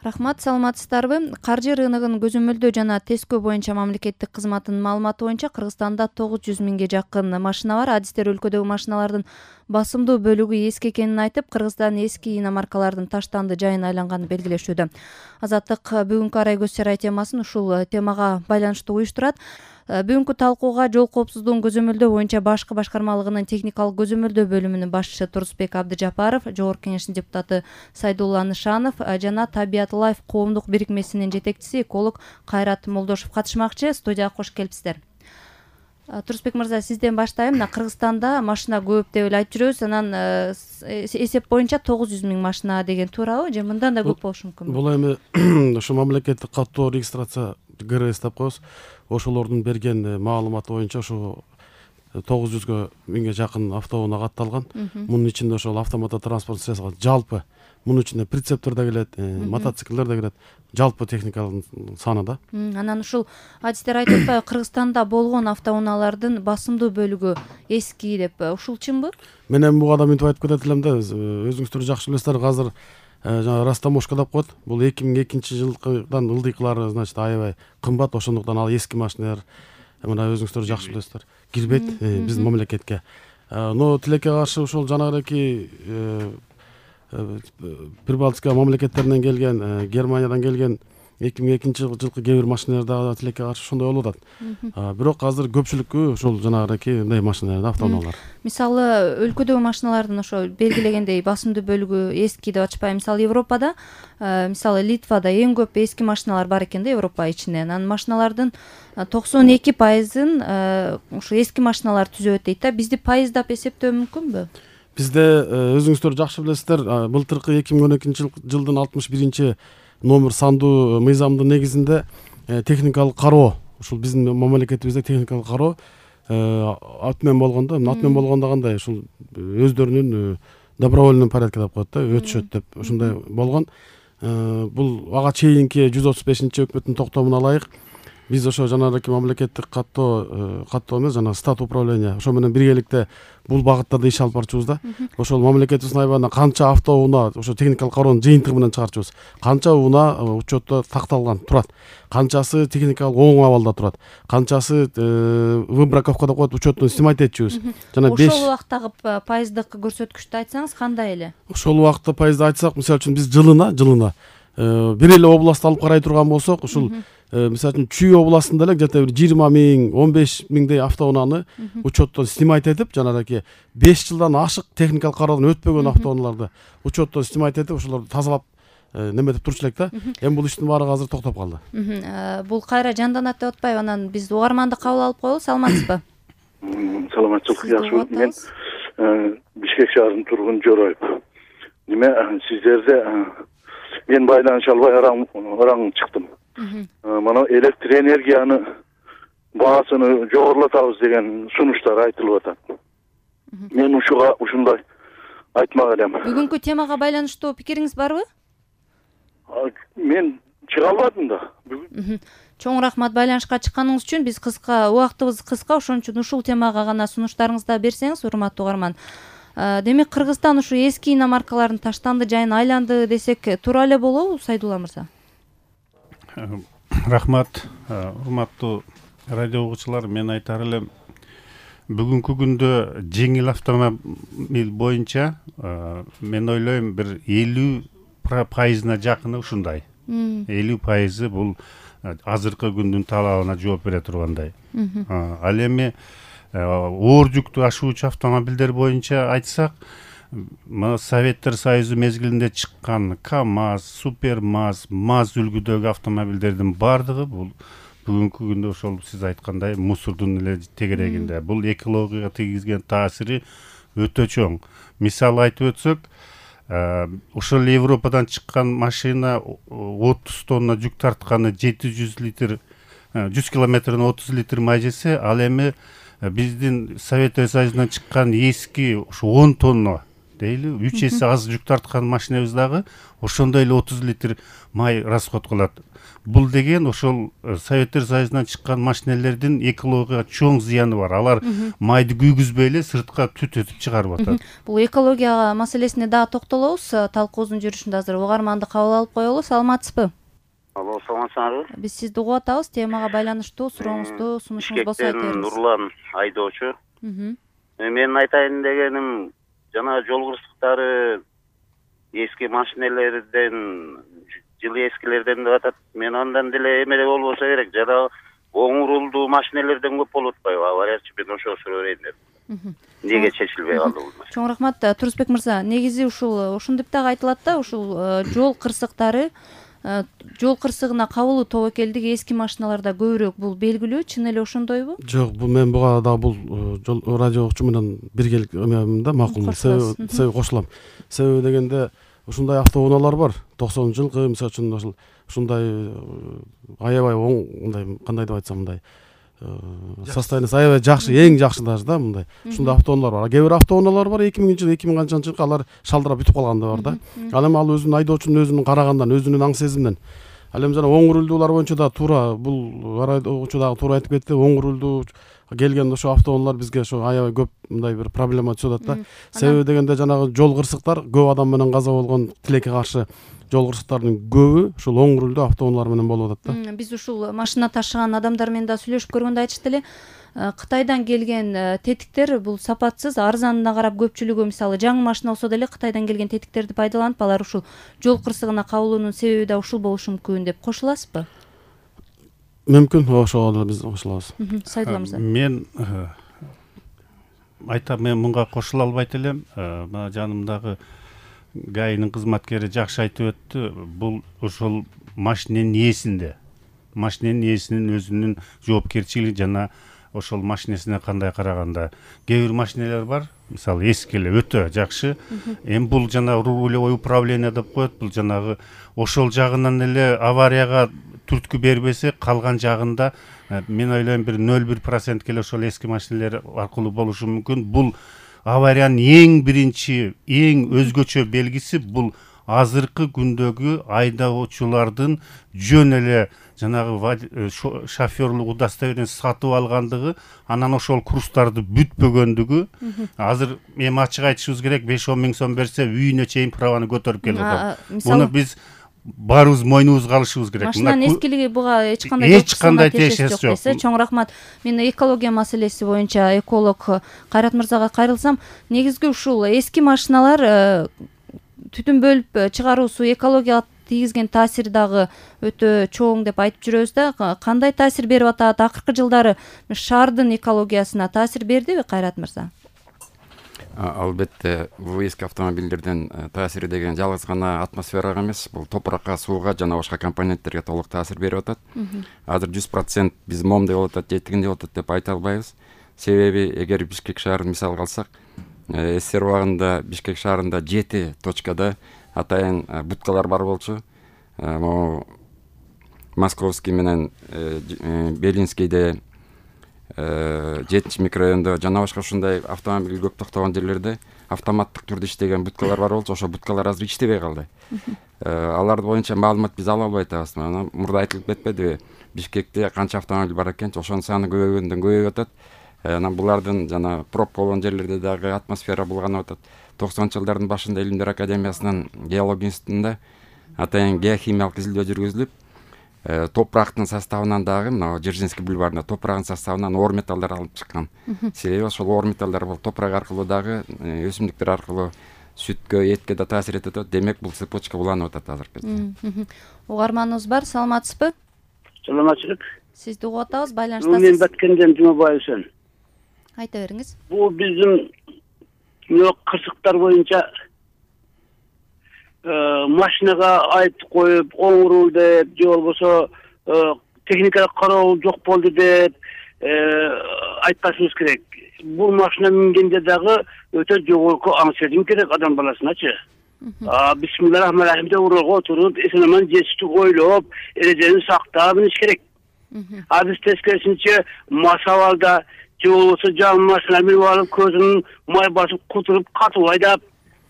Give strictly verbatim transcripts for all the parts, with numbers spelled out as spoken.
Рахмат, саламатсыздарбы? Каржы рыногунун көзөмөлдөө жана тескөө боюнча мамлекеттик кызматтын маалыматы боюнча Кыргызстанда тогуз жүз миңге жакын машина бар. Адистер өлкөдөгү машиналардын басымдуу бөлүгү эски экенин айтып, Кыргызстан эски иномаркалардын таштанды жайына айланганын белгилешүүдө. Азаттык бүгүнкү арай көз сарай темасын ушул темага байланыштуу уюштурат. Бүгүнкү талкууга жол коопсуздугун көзөмөлдөө боюнча башкы башкармалыгынын техникалык көзөмөлдөө бөлүмүнүн башчысы Турсбек Абдыжапаров, Жогорку Кеңештин депутаты Сайдулла Нышанов жана Табиат Лайф коомдук бирикмесинин жетекчиси эколог Кайрат Молдошев катышмакчы. Студияга кош келипсиздер. Турсбек мырза, сизден баштайм. Мына Кыргызстанда машина көп деп эле айтып жүрөбүз. Анан эсеп боюнча тогуз жүз миң машина деген туурабы? Же мындан да көп болушу мүмкүнбү? Бул эми ушу мамлекеттик каттоо регистрация ГРС деп коебуз. Ошолордун берген маалыматы боюнча ушу тогуз жүзгө миңге жакын автоунаа катталган. Мунун ичинде ошол автоматтуу транспорт средствосу жалпы мунун ичинде прицептер да келет, мотоциклдер да келет. Жалпы техниканын саны да. Анан ушул адистер айтып атпайбы, Кыргызстанда болгон автоунаалардын басымдуу бөлүгү эски деп. Ушул чынбы? Мен эми буга да мынтип айтып кетет элем да. Өзүңүздөр жакшы билесиздер, азыр жана растаможка деп коет. Бул эки миң экинчи жылдан ылдыйкылары, значит, аябай кымбат. Ошондуктан ал эски машиналар, мына өзүңүздөр жакшы билесиздер, кирбейт биздин мамлекетке. Но тилекке каршы ушул жанагыдагы Прибалтика мамлекеттеринен келген, Германиядан келген эки миң экинчи жылкы кээ бир машиналар да тилекке каршы ошондой болуп атат. Бирок азыр көпчүлүккү ушул жанагыдагы мындай машиналар, автоунаалар. Мисалы, өлкөдөгү машиналардын ошо белгилегендей басымдуу бөлүгү эски деп атышпайбы? Мисалы, Европада, мисалы Литвада эң көп эски машиналар бар экен да, Европа ичинен. Анан машиналардын токсон эки пайызын ушу эски машиналар түзөт дейт да. Бизди пайыздап эсептөө мүмкүнбү? Бизде өзүңүздөр жакшы билесиздер, былтыркы эки миң он экинчи жылдын алтымыш биринчи номер сандуу мыйзамдын негизинде техникалык кароо, ушул биздин мамлекетибизде техникалык кароо атмен болгондо, атмен болгондо кандай, ушул өздөрүнүн добровольный порядке деп коет да, өтүшөт деп ушундай болгон. Бул ага чейинки жүз отуз бешинчи өкмөттүн токтомуна ылайык биз ошо жанагы мамлекеттик каттоо каттоо эмес, жана стат управление ошо менен биргеликте бул багытта да иш алып барчубуз да. Ошол мамлекетибиздин айбарына канча автоунаа ошо техникалык кароонун жыйынтыгы менен чыгарчубуз. Канча унаа учетто такталган турат, канчасы техникалык оң абалда турат, канчасы выбраковка деп коет, учеттон снимать этчүбүз. Жана беш ошол убактагы пайыздык көрсөткүчтү айтсаңыз кандай эле? Ошол убакта пайызды айтсак, мисалы үчүн биз жылына жылына бир эле областты алып карай турган болсок, ушул мисалы үчүн Чүй областында эле где-то бир жыйырма миң, он беш миңдей автоунааны учеттон снимать этип, жанагы беш жылдан ашык техникалык кароодон өтпөгөн автоунааларды учеттон снимать этип, ошолорду тазалап неметип турчу элек да. Эми бул иштин баары азыр токтоп калды. Бул кайра жанданат деп атпайбы? Анан биз угарманды кабыл алып коелу. Саламатсызбы? Саламатчылык, жакшы. Мен Бишкек шаарынын тургуну Жороев. Неме сиздерде мен байланыша албай араң чыктым. Мана электр энергияны баасыны жогорулатабыз деген сунуштар айтылып атат. Мен ушуга ушундай айтмак элем. Бүгүнкү темага байланыштуу пикириңиз барбы? Мен чыга албадым да. Чоң рахмат байланышка чыкканыңыз үчүн. Биз кыска, убактыбыз кыска, ошон үчүн ушул темага гана сунуштарыңызды берсеңиз, урматтуу угарман. Демек, Кыргызстан ушу эски иномаркалардын таштанды жайына айланды десек туура эле болобу, Сайдулла мырза? Рахмат, урматтуу радио угуучулар. Мен айтар элем, бүгүнкү күндө жеңил автомобиль боюнча мен ойлойм бир элүү пайызына жакыны ушундай. элүү пайызы бул азыркы күндүн талабына жооп бере тургандай. Ал эми оор жүктү ашуучу автомобилдер боюнча айтсак, Советтер Союзу мезгилинде чыккан КАМАЗ, Супермаз, МАЗ үлгүдөгү автомобилдердин бардыгы бул бүгүнкү күндө ошол сиз айткандай мусордун эле тегерегинде. Бул экологияга тийгизген таасири өтө чоң. Мисал айтып өтсөк, ошол Европадан чыккан машина отуз тонна жүк тартканы жети жүз литр, жүз километрден отуз литр май жесе, ал эми биздин Советтер Союзунан чыккан эски ушу он тонна дейли үч эсе аз жүк тарткан машинебиз дагы ошондой эле отуз литр май расход кылат. Бул деген ошол Советтер Союзунан чыккан машинелердин экологияга чоң зыяны бар. Алар майды күйгүзбөй эле сыртка түт өтүп чыгарып атат. Бул экология маселесине дагы токтолобуз. Талкуубуздун жүрүшүндө азыр угарманды кабыл алып коелу. Саламатсызбы? Алло, саламатсызбы? Биз сизди угуп атабыз. Темага байланыштуу сурооңузду, сунушуңуз болсо айта бериңиз. Нурлан айдоочу. Мен айтайын дегеним, жана жол кырсыктары эски машинелерден, жылы эскилерден деп атат. Мен андан деле эмеле болбосо керек. Жана оң рулдуу машинелерден көп болуп атпайбы? Авариячы мен ошо суроо берейин деп. Неге чечилбей калды бул маселе? Чоң рахмат, Турусбек мырза. Негизи ушул ушинтип дагы айтылат да, ушул жол кырсыктары жол кырсыгына кабылуу тобокелдиги эски машиналарда көбүрөөк, бул белгилүү, чын эле ошондойбу? Жок, бул мен буга дагы бул жол радио окуучу менен биргелик эмем да, макул. Себеби кошулам. Себеби дегенде ушундай автоунаалар бар. токсонунчу жылкы мисалы үчүн ошол ушундай аябай оң, мындай кандай деп айтсам, мындай состояниясы аябай жакшы, эң жакшы даже да, мындай. Ушундай автоунаалар бар. Кээ бир автоунаалар бар, эки миңинчи жыл, эки миң канчанчы жылкы алар шалдырап бүтүп калган да бар да. Ал эми ал өзүнүн айдоочунун өзүнүн карагандан, өзүнүн аң сезиминен. Ал эми жана оң рулдуулар боюнча да туура, бул айдоочу дагы туура айтып кетти. Оң рулдуу келген ошо автоунаалар бизге ошо аябай көп мындай бир проблема түшүп атат да. Себеби дегенде жанагы жол кырсыктар, көп адам менен каза болгон, тилекке каршы жол кырсыктардын көбү ушул оң рулдуу автоунаалар менен болуп атат да. Биз ушул машина ташыган адамдар менен да сүйлөшүп көргөндө айтышты эле, Кытайдан келген тетиктер бул сапатсыз, арзанына карап көпчүлүгү мисалы жаңы машина болсо деле Кытайдан келген тетиктерди пайдаланып, алар ушул жол кырсыгына кабылуунун себеби да ушул болушу мүмкүн деп кошуласызбы? Мүмкүн, ошого деле биз кошулабыз. Сайдулла мырза. Мен айтам, мен мунга кошула албайт элем. Мына жанымдагы ГАИнин кызматкери жакшы айтып өттү. Бул ошол машиненин ээсинде. Машиненин ээсинин өзүнүн жоопкерчилиги жана ошол машинесине кандай караганда. Кээ бир машинелер бар, мисалы эски эле өтө жакшы. Эми бул жана рулевой управление деп коет. Бул жанагы ошол жагынан эле аварияга түрткү бербесе, калган жагында мен ойлойм бир нөл бир процентке эле ошол эски машинелер аркылуу болушу мүмкүн. Бул авариянын эң биринчи, эң өзгөчө белгиси бул азыркы күндөгү айдоочулардын жөн эле жанагы шоферлук удостоверение сатып алгандыгы, анан ошол курстарды бүтпөгөндүгү. Азыр эми ачык айтышыбыз керек, беш он миң сом берсе үйүнө чейин праваны көтөрүп келип атат. Муну биз баарыбыз мойнубузга алышыбыз керек. Машинанын эскилиги буга эч кандай эч кандай тиешеси жок. Чоң рахмат. Мен экология маселеси боюнча эколог Кайрат мырзага кайрылсам, негизги ушул эски машиналар түтүн бөлүп чыгаруусу экологияга тийгизген таасири дагы өтө чоң деп айтып жүрөбүз да. Кандай таасир берип атат? Акыркы жылдары шаардын экологиясына таасир бердиби, Кайрат мырза? Албетте, бул эски автомобилдерден таасири деген жалгыз гана атмосферага эмес, бул топуракка, сууга жана башка компоненттерге толук таасир берип атат. Азыр жүз процент биз момундай болуп атат, жетигиндей болуп атат деп айта албайбыз. Себеби эгер Бишкек шаарын мисал алсак, СССР убагында Бишкек шаарында жети точкада атайын буткалар бар болчу. Могу Московский менен Белинскийде, жетинчи микрорайондо жана башка ушундай автомобиль көп токтогон жерлерде автоматтык түрдө иштеген буткалар бар болчу. Ошо буткалар азыр иштебей калды. Алар боюнча маалымат биз ала албай атабыз. Мына мурда айтылып кетпедиби? Бишкекте канча автомобиль бар экенчи, ошонун саны көбөйгөндөн көбөйүп атат. Анан булардын жана пробка болгон жерлерде дагы атмосфера булганып атат. токсонунчу жылдардын башында Илимдер академиясынын геология институтунда атайын геохимиялык изилдөө жүргүзүлүп, топурактын составынан дагы мына Дзержинский бульварында топурактын составынан оор металлдар алып чыккан. Себеби ошол оор металлдар бул топурак аркылуу дагы өсүмдүктөр аркылуу сүткө, этке да таасир этет. Демек бул цепочка уланып атат азыркы кезде. Угарманыбыз бар, саламатсызбы? Саламатчылык. Сизди угуп атабыз, байланыштасыз. Мен Баткенден Жумабаев Үсен. Айта бериңиз. Бул биздин кырсыктар боюнча машинага айтып коюп, оң рул деп, же болбосо техникалык кароо жок болду деп айтпашыбыз керек. Бул машина мингенде дагы өтө жогорку аң сезим керек адам баласыначы. Бисмиллахиррахманиррахим деп урулга отуруп, эсен-аман жетиштик ойлоп, эрежени сактап миниш керек. А биз тескерисинче масабалда же болбосо жаңы машина минип алып, көзүн май басып кутуруп, катып айдап,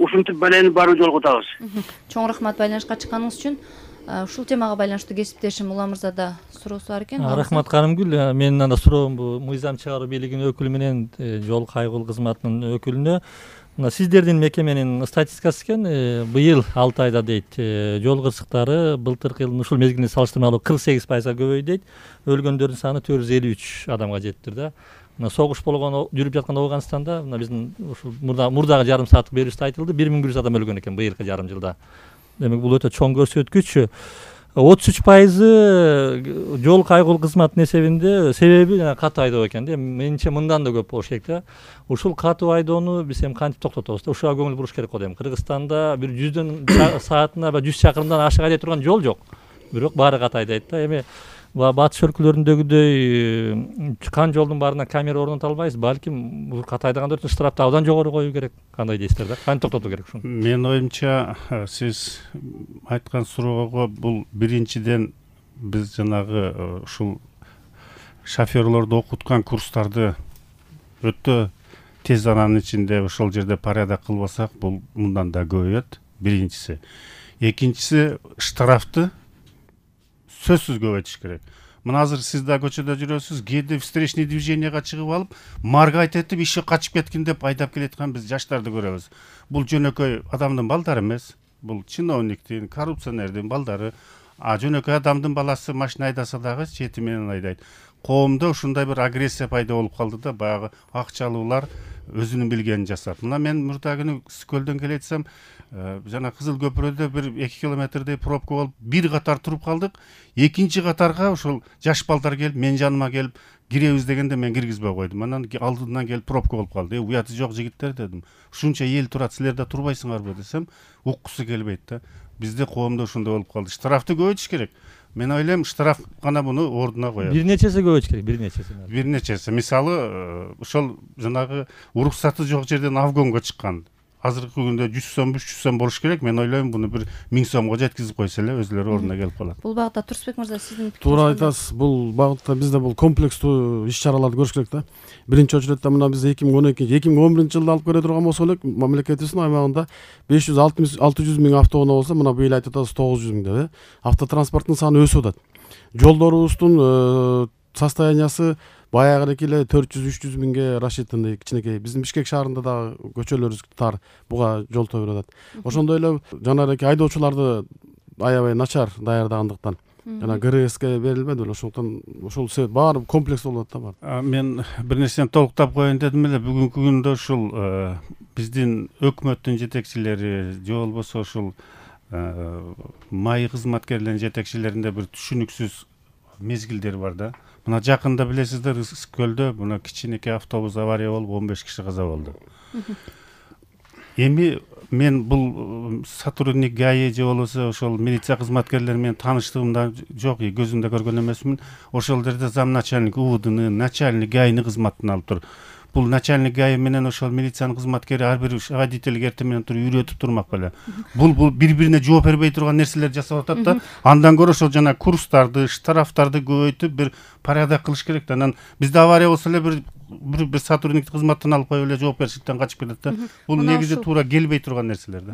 ушинтип балени баруу жолго атабыз. Чоң рахмат байланышка чыкканыңыз үчүн. Ушул темага байланыштуу кесиптешим Улам мырза да суроосу бар экен. Рахмат Карымгүл. Менин анда суроом бул мыйзам чыгаруу бийлигинин өкүлү менен жол кайгыл кызматынын өкүлүнө. Мына сиздердин мекеменин статистикасы экен, быйыл алты айда дейт, жол кырсыктары былтыркы жылдын ушул мезгилине салыштырмалуу кырк сегиз пайызга көбөйдү дейт. Өлгөндөрдүн саны төрт жүз элүү үч адамга жеттир да. Мына согуш болгон жүрүп жаткан Ооганстанда мына биздин ушул мурдагы жарым сааттык берүүбүздө айтылды, бир миң бир жүз адам өлгөн экен быйылкы жарым жылда. Демек бул өтө чоң көрсөткүч. отуз үч пайызы жол кайгыл кызматынын эсебинде себеби жана катуу айдоо экен да. Менимче мындан да көп болуш керек да. Ушул катуу айдоону биз эми кантип токтотобуз да? Ушуга көңүл буруш керек го дейм. Кыргызстанда бир жүздөн саатына ба жүз чакырымдан ашык айдай турган жол жок. Бирок баары катуу айдайт да. Эми батыш өлкөлөрүндөгүдөй чыккан жолдун баарына камера орното албайбыз. Балким бул катуу айдагандар үчүн штрафты абдан жогору коюу керек. Кандай дейсиздер да? Кантип токтотуу керек ушуну? Менин оюмча сиз айткан суроого бул биринчиден биз жанагы ушул шоферлорду окуткан курстарды өтө тез аранын ичинде ошол жерде порядок кылбасак, бул мындан да көбөйөт. Биринчиси. Экинчиси, штрафты сөзсүз көбөйтүш керек. Мына азыр сиз да көчөдө жүрөсүз, кээде встречный движенияга чыгып алып, маргайт этип, иши качып кеткин деп айдап келаткан биз жаштарды көрөбүз. Бул жөнөкөй адамдын балдары эмес, бул чиновниктин, коррупционердин балдары. А жөнөкөй адамдын баласы машина айдаса дагы чети менен айдайт. Коомдо ушундай бир агрессия пайда болуп калды да, баягы акчалуулар өзүнүн билгенин жасап. Мына мен мурда күнү Көлдөн келетсем, жана Кызыл көпүрөдө бир эки километрдей пробка болуп, бир катар туруп калдык. Экинчи катарга ошол жаш балдар келип, мен жаныма келип, киребиз дегенде мен киргизбей койдум. Анан алдынан келип пробка болуп калды. Э, уяты жок жигиттер дедим. Ушунча эл турат, силер да турбайсыңарбы десем, уккусу келбейт да. Бизде коомдо ушундай болуп калды. Штрафты көбөйтүш керек. Мен ойлойм, штраф гана муну ордуна коет. Бир нечеси көбөйтүш керек, бир нечеси. Бир нечеси. Мисалы, ошол жанагы уруксаты жок жерден авгонго чыккан. Азыркы күндө жүз сом, үч жүз сом болуш керек. Мен ойлойм, буну бир миң сомго жеткизип койсо эле өзүлөрү ордуна келип калат. Бул багытта Турсбек мырза, сиздин пикириңиз? Туура айтасыз. Бул багытта бизде бул комплекстүү иш-чараларды көрүш керек да. Биринчи очередде мына биз эки миң он экинчи эки миң он биринчи жылда алып келе турган болсок эле, мамлекетибиздин аймагында беш жүз алты жүз миң автоунаа болсо, мына быйыл айтып атабыз тогуз жүз миң деп. Автотранспорттун саны өсүп атат. Жолдорубуздун состояниясы баягыдеки эле төрт жүз үч жүз миңге расчеттенди, кичинекей. Биздин Бишкек шаарында да көчөлөрүбүз тар, буга жол тобур атат. Ошондой эле жанагы айдоочуларды аябай начар даярдагандыктан жана ГРСке берилбеди беле, ошондуктан ушул баары комплекс болуп атат да бар. Мен бир нерсени толуктап коеюн дедим эле. Бүгүнкү күндө ушул биздин өкмөттүн жетекчилери же болбосо ушул май кызматкерлеринин жетекчилеринде бир түшүнүксүз мезгилдер бар да. Мына жакында билесиздер, Көлдө мына кичинекей автобус авария болуп он беш киши каза болду. Эми мен бул сотрудник ГАИ же болбосо ошол милиция кызматкерлери менен тааныштыгымда жок, көзүмдө көргөн эмесмин. Ошол жерде зам начальник УВДнын, начальник ГАИнин кызматын алып тур. Бул начальник ГАИ менен ошол милициянын кызматкери ар бир водителге эртең менен туруп үйрөтүп турмак беле. Бул бул бири-бирине жооп бербей турган нерселерди жасап атат да. Андан көрө ошол жана курстарды, штрафтарды көбөйтүп бир порядок кылыш керек да. Анан бизде авария болсо эле бир бир бир сотрудникти кызматтан алып коюп эле жооп беришиктен качып кетет да. Бул негизи туура келбей турган нерселер да.